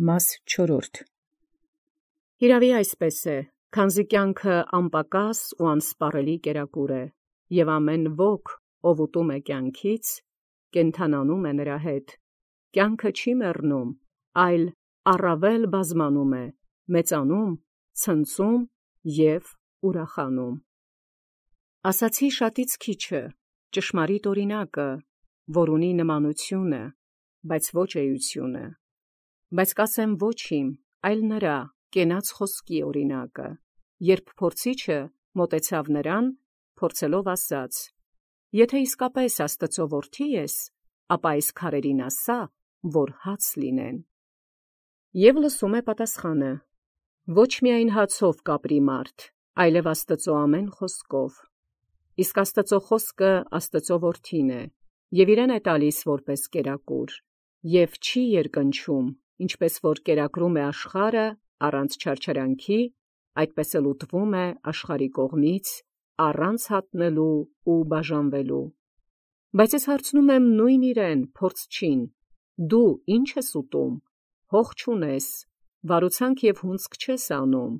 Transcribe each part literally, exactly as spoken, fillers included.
Մաս չորրորդ. Հիրավի այսպես է, քանզի կյանքը անպակաս ու անսպառելի կերակուր է, և ամեն ոք, ով ուտում է կյանքից, կենդանանում է նրա հետ. կյանքը չի մեռնում, այլ առավել բազմանում է, մեծանում, ցնծում և ուրախանում։ Ասացի շատից քիչը, ճշմարիտ օրինակը, որ ունի նմանությունը, բայց ոչ էությունը։ Բայց կասեմ ոչ իմ, այլ նրա կենաց խոսքի օրինակը, երբ փորձիչը մոտեցավ նրան, փորձելով ասաց. եթե իսկապես Աստծո որդի ես, ապա այս քարերին ասա, որ հաց լինեն։ Եվ լսում է պատասխանը. ոչ միայն հացով կապրի մարդ, այլև Աստծո ամեն խոսքով։ Իսկ Աստծո խոսքը Աստծո որդին է, և իրեն է տալիս որպես կերակուր, և չի երկնչում, ինչպես որ կերակրում է աշխարհը առանց չարչարանքի, այդպես էլ ուտվում է աշխարհի կողմից, առանց հատնելու ու բաժանվելու։ Բայց ես հարցնում եմ նույն իրեն, փորձչին. դու ի՞նչ ես ուտում, հող չունես, վարուցանք և հունձք չես անում։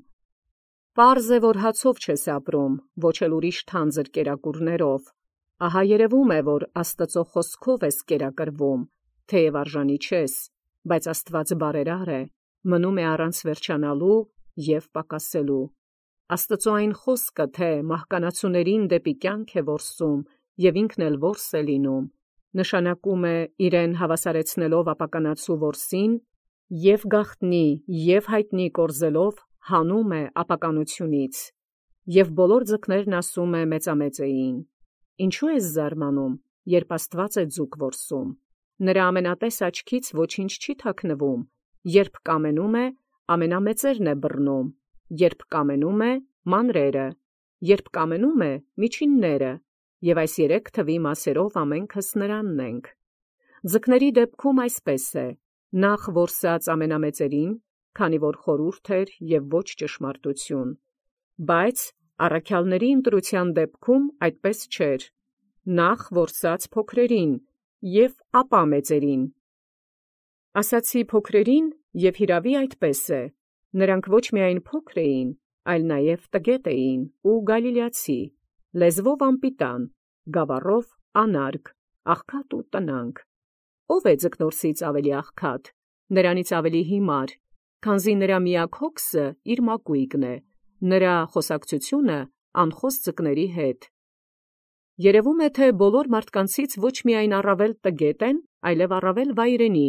Պարզ է, որ հացով չես ապրում, ոչ էլ ուրիշ թանձր կերակուրներով, ահա երևում է, որ Աստծո խոսքով ես կերակրվում, թեև արժանի չես, բայց Աստված բարերար է, մնում է առանց վերջանալու և պակասելու։ Աստծո այն խոսքը, թե մահկանացուներին դեպի կյանք է որսում և ինքն էլ որս է լինում, նշանակում է իրեն հավասարեցնելով ապականացու որսին և գաղտնի և հայտնի կորզելով հանում է ապականությունից, և բոլոր ձկներն ասում է մեծամեծեին. ինչու ես զարմանում, երբ Աստված է ձուկ որսում, նրա ամենատես աչքից ոչինչ չի թաքնվում, երբ կամենում է, ամենամեծերն է բռնում, երբ կամենում է, մանրերը, երբ կամենում է, միջինները, և այս երեք թվի մասերով ամենքս նրանն ենք։ Ձկների դեպքում այսպես է, նախ որսած ամենամեծերին, քանի որ խորհուրդ էր և ոչ ճշմարտություն, բայց առաքյալների ընտրության դեպքում այդպես չէր, նախ որսած փոքրերին և ապա մեծերին։ Ասացի փոքրերին, և հիրավի այդպես է, նրանք ոչ միայն փոքր էին, այլ նաև տգետ էին ու գալիլեացի, լեզվով անպիտան, գավառով անարգ, աղքատ ու տնանկ։ Ո՞վ է ձկնորսից ավելի աղքատ, նրանից ավելի հիմար, քանզի նրա միակ հոգսը իր մակույկն է, նրա խոսակցությունը անխոս ձկների հետ։ Երևում է, թե բոլոր մարդկանցից ոչ միայն առավել տգետ են, այլև առավել վայրենի,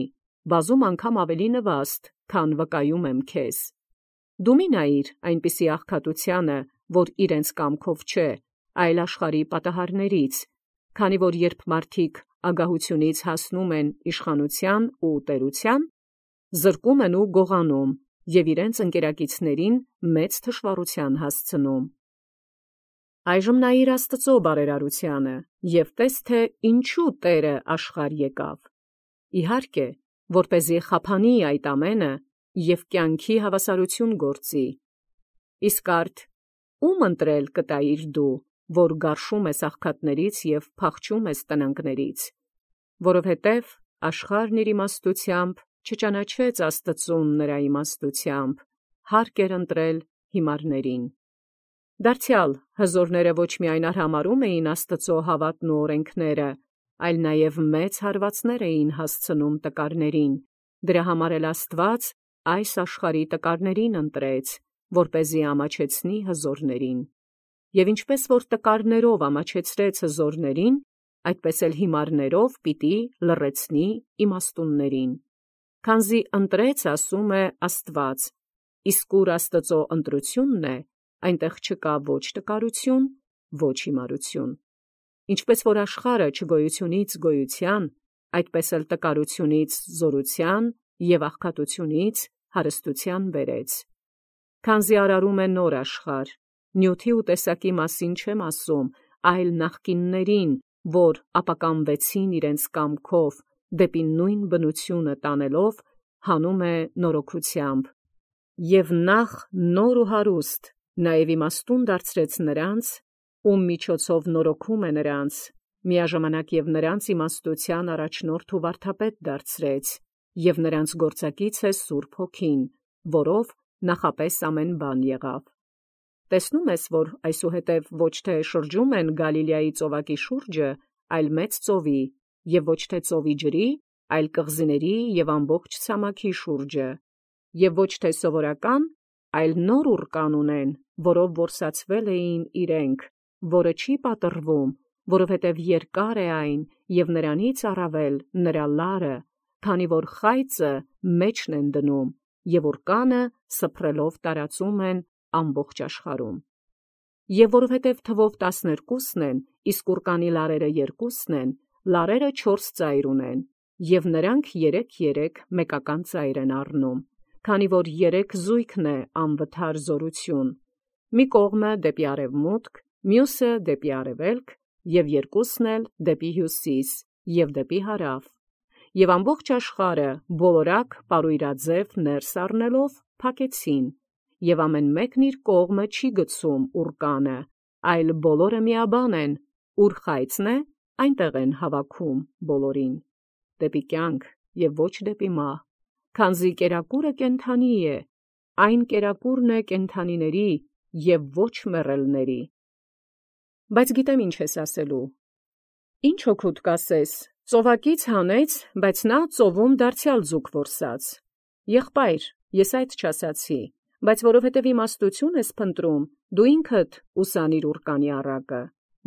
բազում անգամ ավելի նվաստ, քան վկայում եմ քեզ։ Դու մի նայիր այնպիսի աղքատությանը, որ իրենց կամքով չէ, այլ աշխարհի պատահարներից, քանի որ երբ մարդիկ ագահությունից հասնում են իշխանության ու տերության, զրկում են ու գողանում և իրենց ընկերակիցներին մեծ թշվառության հասցնում։ Այժմ նայիր Աստծո բարերարությանը և տես, թե ինչու Տերը աշխարհ եկավ։ Իհարկե, որպեսզի խափանի այդ ամենը և կյանքի հավասարություն գործի։ Իսկ արդ ո՞ւմ ընտրել կտայիր դու, որ գարշում ես աղքատներից և փախչում ես տնանկներից, որովհետև աշխարհն իր իմաստությամբ չճանաչեց Աստծուն նրա իմաստությամբ, հարկ էր ընտրել հիմարներին։ Դարձյալ հզորները ոչ միայն արհամարհում էին Աստծո հավատն ու օրենքները, այլ նաև մեծ հարվածներ էին հասցնում տկարներին, դրա համար էլ Աստված այս աշխարհի տկարներին ընտրեց, որպեսզի ամաչեցնի հզորներին։ Եվ ինչպես որ տկարներով ամաչեցրեց հզորներին, այդպես էլ հիմարներով պիտի լռեցնի իմաստուններին։ Քանզի ընտրեց, ասում է Աստված, իսկ ուր Աստծո ընտրությունն է, այնտեղ չկա ոչ տկարություն, ոչ հիմարություն։ Ինչպես որ աշխարհը չգոյությունից գոյության, այդպես էլ տկարությունից զորության և աղքատությունից հարստության բերեց։ Քանզի արարում է նոր աշխարհ, նյութի ու տեսակի մասին չեմ ասում, այլ նախկիններին, որ ապականվեցին իրենց կամքով, դեպի նույն բնությունը տանելով, հանում է նորոգությամբ։ Եվ նախ նոր ու հարուստ, նաև իմաստուն դարձրեց նրանց, ում միջոցով նորոգում է նրանց, միաժամանակ և նրանց իմաստության առաջնորդ ու վարդապետ դարձրեց, և նրանց գործակից է Սուրբ Հոգին, որով նախապես ամեն բան եղավ։ Տեսնում ես, որ այսուհետև ոչ թե շրջում են Գալիլեայի ծովակի շուրջը, այլ մեծ ծովի, և ոչ թե ծովի ջրի, այլ կղզիների և ամբողջ ցամաքի շուրջը, և ոչ թե սովորական, այլ նոր ուռկան ունեն, որով որսացվել էին իրենք, որը չի պատռվում, որովհետև երկար է այն, և նրանից առավել նրա լարը, քանի որ խայծը մեջն են դնում, և ուռկանը սփռելով տարածում են ամբողջ աշխարհում։ Եվ որովհետև թվով տասներկուսն են, իսկ ուռկանի լարերը երկուսն են, լարերը չորս ծայր ունեն, և նրանք երեք-երեք մեկական ծայր են առնում, քանի որ երեք զույգն է անվթար զորություն, մի կողմը դեպի արևմուտք, մյուսը դեպի արևելք, և երկուսն էլ դեպի հյուսիս և դեպի հարավ, և ամբողջ աշխարհը բոլորակ պարույրաձև ներս առնելով փակեցին, և ամեն մեկն իր կողմը չի գցում ուռկանը, այլ բոլորը միաբան են, ուր խայծն է, այնտեղ են հավաքում բոլորին, դեպի կյանք և ոչ դեպի մահ, քանզի կերակուրը կենդանի է, այն կերակուրն է կենդանիների և ոչ մեռելների։ Բայց գիտեմ ինչ ես ասելու. ի՞նչ օգուտ կասես, ծովակից հանեց, բայց նա ծովում դարձյալ ձուկ որսաց։ Եղբայր, ես այդ չասացի, բայց որովհետև իմաստություն ես փնտրում, դու ինքդ ուսանիր ուռկանի առակը,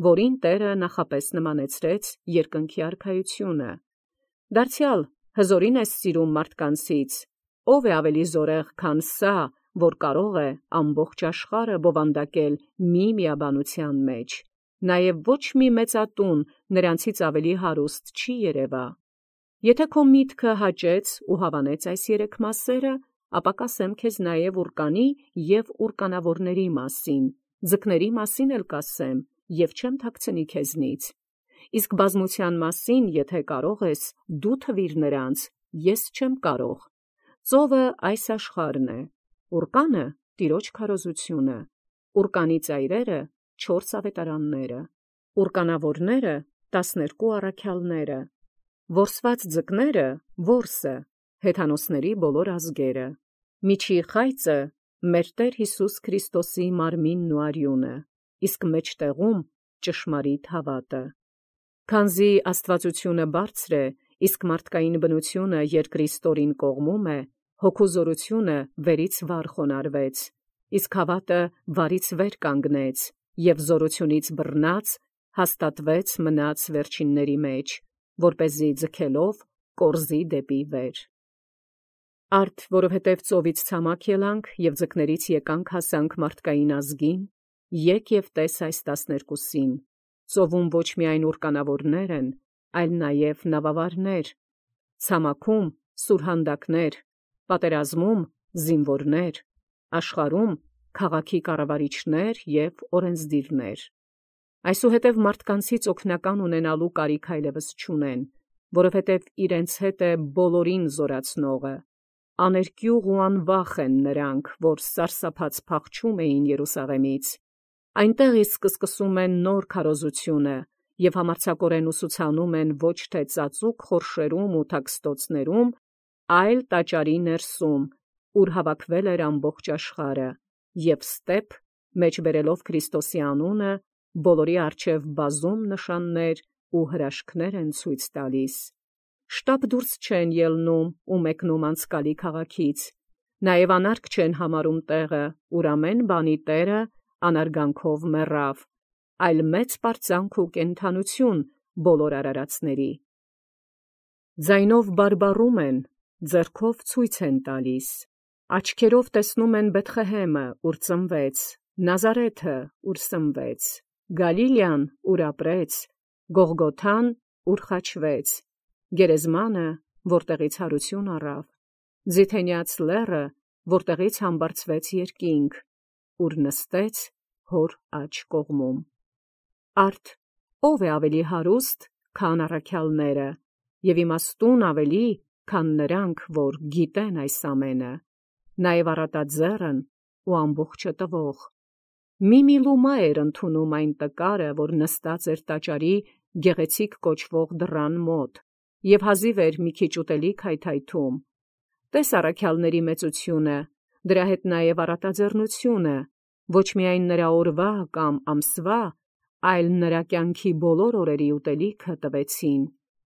որին Տերը նախապես նմանեցրեց երկնքի արքայությունը։ Դարձյալ հզորին ես սիրում մարդկանցից, ո՞վ է ավելի զորեղ, քան սա, որ կարող է ամբողջ աշխարհը բովանդակել մի միաբանության մեջ, նաև ոչ մի մեծատուն նրանցից ավելի հարուստ չի երևա։ Եթե քո միտքը հաճեց ու հավանեց այս երեք մասերը, ապա կասեմ քեզ նաև ուռկանի և ուռկանավորների մասին, ձկների մասին էլ կասեմ, և չեմ թաքցնի քեզնից։ Իսկ բազմության մասին, եթե կարող ես, դու թվիր նրանց, ես չեմ կարող։ Ծովը այս աշխարհն է, ուռկանը Տիրոջ քարոզությունը, ուռկանի ծայրերը չորս ավետարանները, ուռկանավորները տասներկու առաքյալները, որսված ձկները որսը, հեթանոսների բոլոր ազգերը, միջի խայծը մեր Տեր Հիսուս Քրիստոսի մարմինն ու արյունը, իսկ մեջտեղում ճշմարիտ հավատը։ Քանզի աստվածությունը բարձր է, իսկ մարդկային բնությունը երկրի ստորին կողմում է, հոգու զորությունը վերից վար խոնարհվեց, իսկ հավատը վարից վեր կանգնեց, և զորությունից բռնած հաստատվեց մնաց վերջինների մեջ, որպեսզի ձգելով կորզի դեպի վեր։ Արդ որովհետև ծովից ցամաք ելանք և ձկներից եկանք հասանք մարդկային ազգին, եկ և տես այս տասներկուսին, ծովում ոչ միայն ուռկանավորներ են, այլ նաև նավավարներ, ցամաքում սուրհանդակներ, պատերազմում զինվորներ, աշխարհում քաղաքի կառավարիչներ և օրենսդիրներ։ Այսուհետև մարդկանցից օգնական ունենալու կարիք այլևս չունեն, որովհետև իրենց հետ է բոլորին զորացնողը, աներկյուղ ու անվախ են նրանք, որ սարսափած փախչում էին Երուսաղեմից, այնտեղ իսկ սկսում են նոր քարոզությունը և համարձակորեն ուսուցանում են ոչ թե ծածուկ խորշերում ու թաքստոցներում, այլ տաճարի ներսում, ուր հավաքվել էր ամբողջ աշխարհը, և ստեպ մեջբերելով Քրիստոսի անունը, բոլորի առջև բազում նշաններ ու հրաշքներ են ցույց տալիս։ Շտապ դուրս չեն ելնում ու մեկնում անցկալի քաղաքից, նաև անարգ չեն համարում տեղը, ուր ամեն բանի Տերը անարգանքով մեռավ, այլ մեծ պարծանք ու կենդանություն բոլոր արարածների։ Ձայնով բարբառում են, ձեռքով ցույց են տալիս, աչքերով տեսնում են Բեթղեհեմը, ուր ծնվեց, Նազարեթը, ուր սնվեց, Գալիլեան, ուր ապրեց, Գողգոթան, ուր խաչվեց, Գերեզմանը, որտեղից հարություն առավ, Ձիթենյաց լեռը, որտեղից համբարձվեց երկինք, ուր նստեց հոր աջ կողմում։ Արդ ո՞վ է ավելի հարուստ, քան առաքյալները, և իմաստուն ավելի, քան նրանք, որ գիտեն այս ամենը, նաև առատաձեռն ու ամբողջը տվող։ Մի-մի լումա էր ընդունում այն տկարը, որ նստած էր տաճարի գեղեցիկ կոչվող դռան մոտ, և հազիվ էր մի քիչ ուտելիք հայթայթում։ Տես առաքյալների մեծությունը, դրա հետ նաև առատաձեռնությունը, ոչ միայն նրա օրվա կամ ամսվա, այլ նրա կյանքի բոլոր օրերի ուտելիքը տվեցին,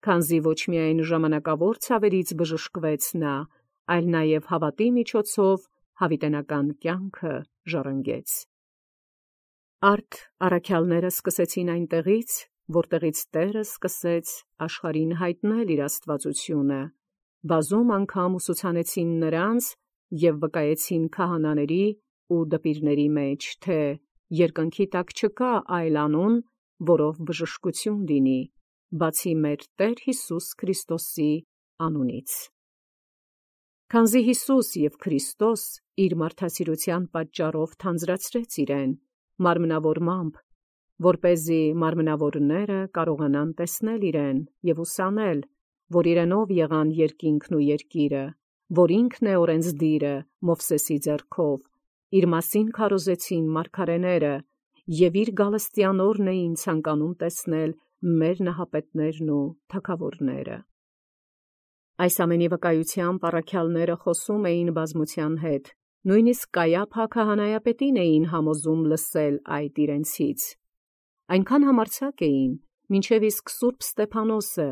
քանզի ոչ միայն ժամանակավոր ցավերից բժշկվեց նա, այլ նաև հավատի միջոցով հավիտենական կյանքը ժառանգեց։ Արդ առաքյալները սկսեցին այնտեղից, որտեղից Տերը սկսեց աշխարհին հայտնել իր աստվածությունը, բազում անգամ ուսուցանեցին նրանց և վկայեցին քահանաների ու դպիրների մեջ, թե երկնքի տակ չկա այլ անուն, որով բժշկություն լինի, բացի մեր Տեր Հիսուս Քրիստոսի անունից։ Քանզի Հիսուս և Քրիստոս իր մարդասիրության պատճառով թանձրացրեց իրեն մարմնավորմամբ, որպեսզի մարմնավորները կարողանան տեսնել իրեն և ուսանել, որ իրենով եղան երկինքն ու երկիրը, որ ինքն է օրենսդիրը Մովսեսի ձեռքով, իր մասին քարոզեցին մարգարեները և իր գալստյան օրն էին ցանկանում տեսնել մեր նահապետներն ու թագավորները։ Այս ամենի վկայությամբ առաքյալները խոսում էին բազմության հետ, նույնիսկ Կայափա քահանայապետին էին համոզում լսել այդ իրենցից։ Այնքան համարձակ էին, մինչև իսկ Սուրբ Ստեփանոսը,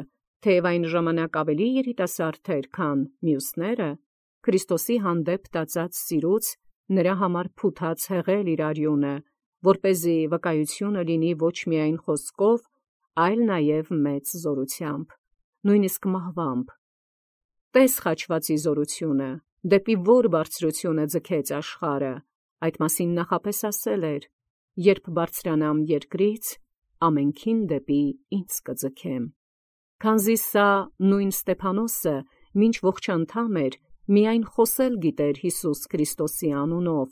թեև այն ժամանակ ավելի երիտասարդ էր, քան մյուսները, Քրիստոսի հանդեպ տածած սիրուց նրա համար փութաց հեղել իր արյունը, որպեսզի վկայությունը լինի ոչ միայն խոսքով, այլ նաև մեծ զորությամբ, նույնիսկ մահվամբ։ Տես խաչվածի զորությունը, դեպի որ բարձրությունը ձգեց աշխարհը, այդ մասին նախապես ասել էր. «Երբ բարձրանամ երկրից, ամենքին դեպի ինձ կձգեմ»։ Քանզի սա նույն Ստեփանոսը, մինչ ողջանդամ էր, միայն խոսել գիտեր Հիսուս Քրիստոսի անունով,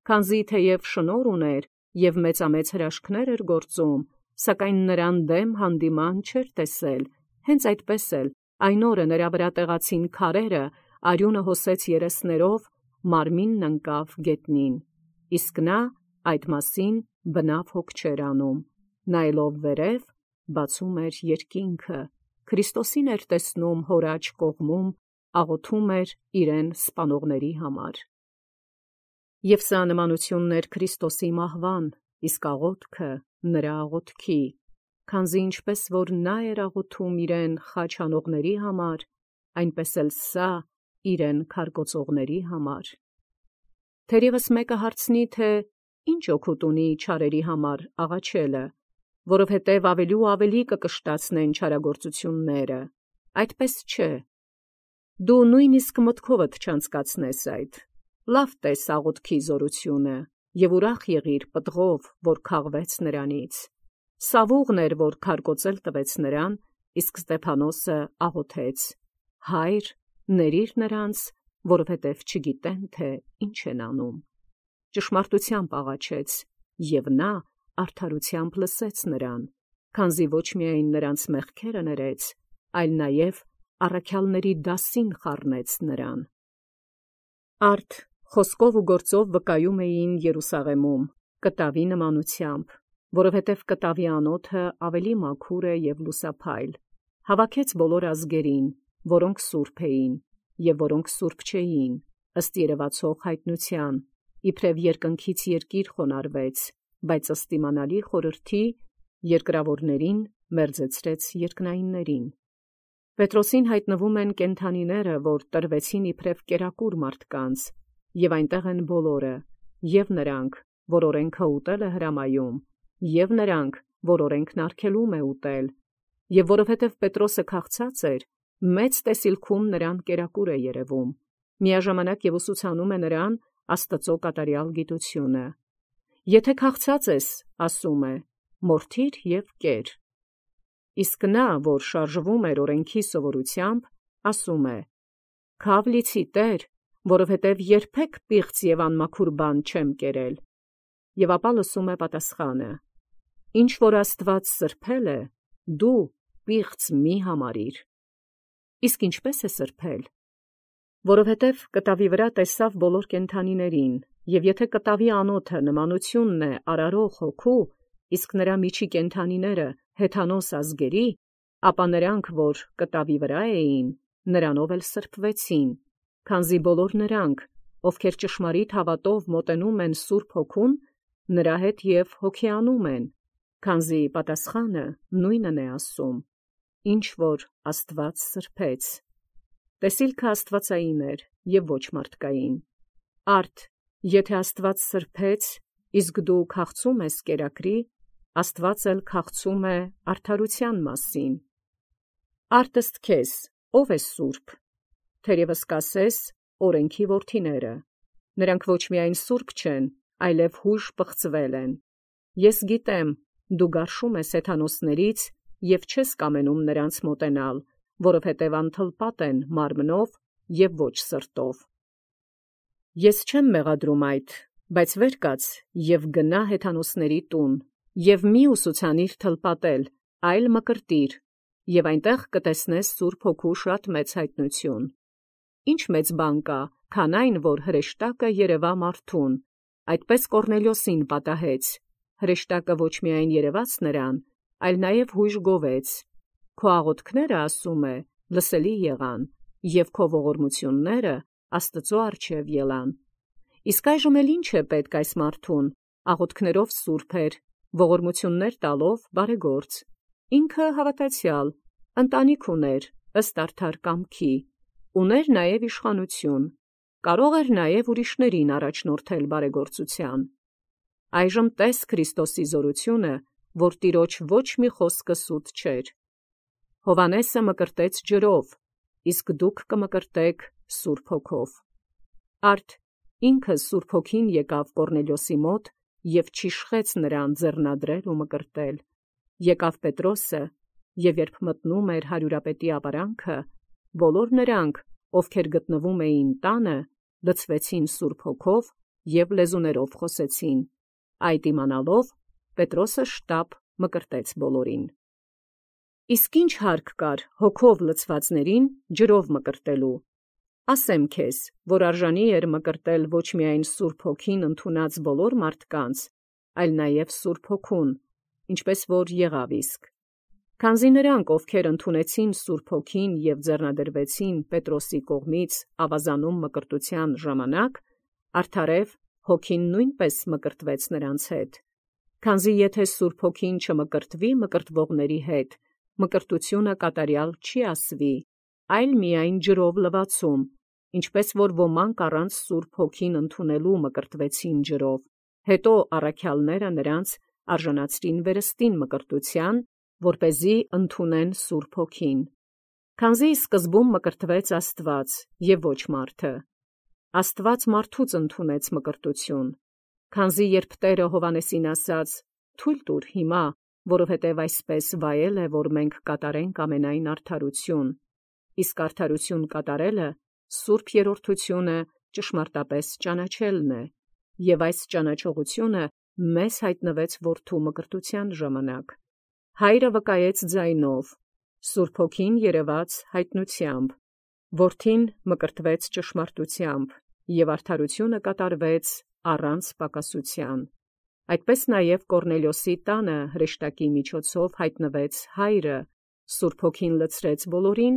քանզի թեև շնորհ ուներ և մեծամեծ հրաշքներ էր գործում, սակայն նրան դեմ հանդիման չէր տեսել, հենց այդպես էլ այն օրը նրա վրա տեղացին քարերը, արյունը հոսեց երեսներով, մարմինն ընկավ գետնին, իսկ նա այդ մասին բնավ հոգ չէր անում, նայելով վերև, բացում էր երկինքը, Քրիստոսին էր տեսնում հոր աջ կողմում, աղոթում էր իրեն սպանողների համար։ Եվ սա նմանությունն էր Քրիստոսի մահվան, իսկ աղոթքը նրա աղոթքի, քանզի ինչպես որ նա էր աղոթում իրեն խաչ անողների համար, այնպես էլ սա իրեն քարկոծողների համար։ Թերևս մեկը հարցնի, թե ի՞նչ օգուտ ունի չարերի համար աղաչելը, որովհետև ավելի ու ավելի կկշտացնեն չարագործությունները, այդպես չէ։ Դու նույնիսկ մտքովդ չանցկացնես այդ, լավ տես աղոթքի զորությունը և ուրախ եղիր պտղով, որ քաղվեց նրանից։ Սավուղն էր, որ քարկոծել տվեց նրան, իսկ Ստեփանոսը աղոթեց. «Հայր, ներիր նրանց, որովհետև չգիտեն, թե ինչ են անում»։ Ճշմարտությամբ աղաչեց, և նա արդարությամբ լսեց նրան, քանզի ոչ միայն նրանց մեղքերը ներեց, այլ նաև առաքյալների դասին խառնեց նրան։ Արդ խոսքով ու գործով վկայում էին Երուսաղեմում, կտավի նմանությամբ, որովհետև կտավի անոթը ավելի մաքուր է և լուսափայլ, հավաքեց բոլոր ազգերին, որոնք սուրբ էին, և որոնք սուրբ չէին, ըստ երևացող հայտնության, իբրև երկնքից երկիր խոնարհվեց, բայց ըստ իմանալի խորհրդի երկրավորներին մերձեցրեց երկնայիններին։ Պետրոսին հայտնվում են կենդանիները, որ տրվեցին իբրև կերակուր մարդկանց, և այնտեղ են բոլորը, և նրանք, որ օրենքը ուտել է հրամայում, և նրանք, որ օրենքն արգելում է ուտել, և որովհետև Պետրոսը քաղցած էր, մեծ տեսիլքում նրան կերակուր է երևում, միաժամանակ և ուսուցանում է նրան Աստծո կատարյալ գիտությունը։ Եթե քաղցած ես, ասում է, մորթիր և կեր։ Իսկ նա, որ շարժվում էր օրենքի սովորությամբ, ասում է. «Քավ լիցի Տեր, որովհետև երբեք պիղծ և անմաքուր բան չեմ կերել»։ Եվ ապա լսում է պատասխանը. «Ինչ որ Աստված սրբել է, դու պիղծ մի համարիր»։ Իսկ ինչպե՞ս է սրբել։ Որովհետև կտավի վրա տեսավ բոլոր կենդանիներին, և եթե կտավի անոթը նմանությունն է արարող հոգու, իսկ նրա միջի կենդանիները հեթանոս ազգերի, ապա նրանք, որ կտավի վրա էին, նրանով էլ սրբվեցին, քանզի բոլոր նրանք, ովքեր ճշմարիտ հավատով մոտենում են Սուրբ Հոգուն, նրա հետ և հոգեանում են, քանզի պատասխանը նույնն է ասում, ինչ որ Աստված սրբեց։ Տեսիլքը աստվածային էր և ոչ մարդկային։ Արդ, եթե Աստված սրբեց, իսկ դու քաղցում ես կերակրի, Աստված էլ քաղցում է արդարության մասին։ Արդ ըստ քեզ, ով է սուրբ, թերևս կասես օրենքի որդիները, նրանք ոչ միայն սուրբ չեն, այլև հույժ պղծվել են։ Ես գիտեմ, դու գարշում ես հեթանոսներից և չես կամենում նրանց մոտենալ, որովհետև անթլպատ են մարմնով և ոչ սրտով։ Ես չեմ մեղադրում այդ, բայց վեր կաց և գնա հեթանոսների տուն, և մի ուսուցանիր թլպատել, այլ մկրտիր, և այնտեղ կտեսնես Սուրբ Հոգու շատ մեծ հայտնություն։ Ինչ մեծ բան կա, քան այն, որ հրեշտակը երևա մարդուն, այդպես Կորնելիոսին պատահեց, հրեշտակը ոչ միայն երևաց նրան, այլ նաև հույժ գովեց։ Քո աղոթքները, ասում է, լսելի եղան, և քո ողորմությունները Աստծո առջև ելան։ Իսկ այժմ էլ ինչ է պետք այս մարդուն, աղոթքներով սուրբ էր, ողորմություններ տալով բարեգործ։ Ինքը հավատացյալ, ընտանիք ուներ, ըստ արդար կամքի, ուներ նաև իշխանություն, կարող էր նաև ուրիշներին առաջնորդել բարեգործության։ Այժմ տես Քրիստոսի զորությունը, որ տիրոջ ոչ մի խոսքը սուտ չէր։ Հովհաննեսը մկրտեց ջրով, իսկ դուք կմկրտեք Սուրբ Հոգով։ Արդ ինքը Սուրբ Հոգին եկավ Կորնելիոսի մոտ և չիշխեց նրան ձեռնադրել ու մկրտել։ Եկավ Պետրոսը, և երբ մտնում էր հարյուրապետի ապարանքը, բոլոր նրանք, ովքեր գտնվում էին տանը, լցվեցին Սուրբ Հոգով և լեզուներով խոսեցին։ Այդ իմանալով, Պետրոսը շտապ մկրտեց բոլորին։ Իսկ ինչ հարկ կար հոգով լցվածներին ջրով մկրտելու։ Ասեմ քեզ, որ արժանի էր մկրտել ոչ միայն Սուրբ Հոգին ընդունած բոլոր մարդկանց, այլ նաև Սուրբ Հոգուն, ինչպես որ եղավ իսկ։ Քանզի նրանք, ովքեր ընդունեցին Սուրբ Հոգին և ձեռնադրվեցին Պետրոսի կողմից ավազանում մկրտության ժամանակ, արդարև Հոգին նույնպես մկրտվեց նրանց հետ։ Քանզի եթե Սուրբ Հոգին չմկրտվի մկրտվողների հետ, մկրտությունը կատարյալ չի ասվի, այլ միայն ջրով լվացում, ինչպես որ ոմանք առանց Սուրբ Հոգին ընդունելու մկրտվեցին ջրով, հետո առաքյալները նրանց արժանացրին վերստին մկրտության, որպեսզի ընդունեն Սուրբ Հոգին։ Քանզի սկզբում մկրտվեց Աստված և ոչ մարդը։ Աստված մարդուց ընդունեց մկրտություն, քանզի երբ Տերը Հովհաննեսին ասաց. «Թույլ տուր հիմա, որովհետև այսպես վայել է, որ մենք կատարենք ամենայն արդարություն», իսկ արդարություն կատարելը սուրբ երրորդությունը ճշմարտապես ճանաչելն է, և այս ճանաչողությունը մեզ հայտնվեց որդու մկրտության ժամանակ։ Հայրը վկայեց ձայնով, Սուրբ Հոգին երևաց հայտնությամբ, որդին մկրտվեց ճշմարտությամբ, և արդարությունը կատարվեց առանց պակասության։ Այդպես նաև Կորնելիոսի տանը հրեշտակի միջոցով հայտնվեց հայրը, Սուրբ Հոգին լցրեց բոլորին,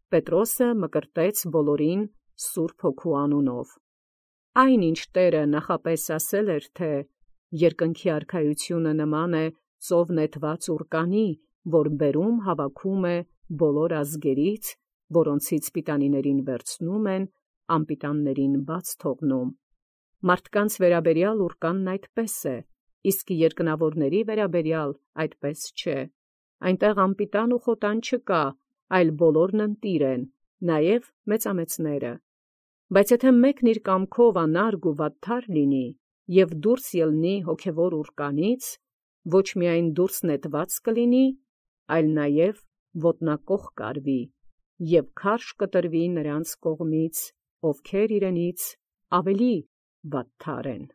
Պետրոսը մկրտեց բոլորին Սուրբ Հոգու անունով։ Այն ինչ Տերը նախապես ասել էր, թե երկնքի արքայությունը նման է ծով նետված ուռկանի, որ բերում հավաքում է բոլոր ազգերից, որոնցից պիտանիներին վերցնում են, անպիտաններին բաց թողնում։ Մարդկանց վերաբերյալ ուռկանն այդպես է, իսկ երկնավորների վերաբերյալ այդպես չէ։ Այնտեղ անպիտան ու խոտան չկա, այլ բոլորն ընտիր են, նաև մեծամեծները։ Բայց եթե մեկն իր կամքով անարգ ու վատթար լինի և դուրս ելնի հոգևոր ուռկանից, ոչ միայն դուրս նետված կլինի, այլ նաև ոտնակոխ կարվի, և քարշ կտրվի նրանց կողմից, ովքեր իրենից ավելի վատթար են։